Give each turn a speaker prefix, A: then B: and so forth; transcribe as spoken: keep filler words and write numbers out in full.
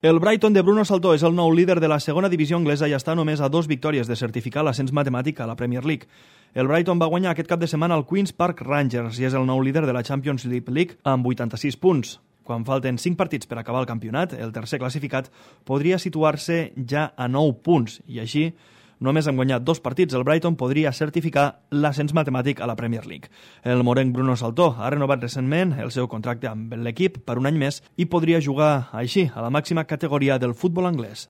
A: El Brighton de Bruno Saltó és el nou líder de la segona divisió anglesa i està només a dos victòries de certificar l'ascens matemàtic a la Premier League. El Brighton va guanyar aquest cap de setmana al Queen's Park Rangers i és el nou líder de la Championship League amb vuitanta-sis punts. Quan falten cinc partits per acabar el campionat, el tercer classificat podria situar-se ja a nou punts i així, només amb guanyat dos partits, el Brighton podria certificar l'ascens matemàtic a la Premier League. El morenc Bruno Saltó ha renovat recentment el seu contracte amb l'equip per un any més i podria jugar així a la màxima categoria del futbol anglès.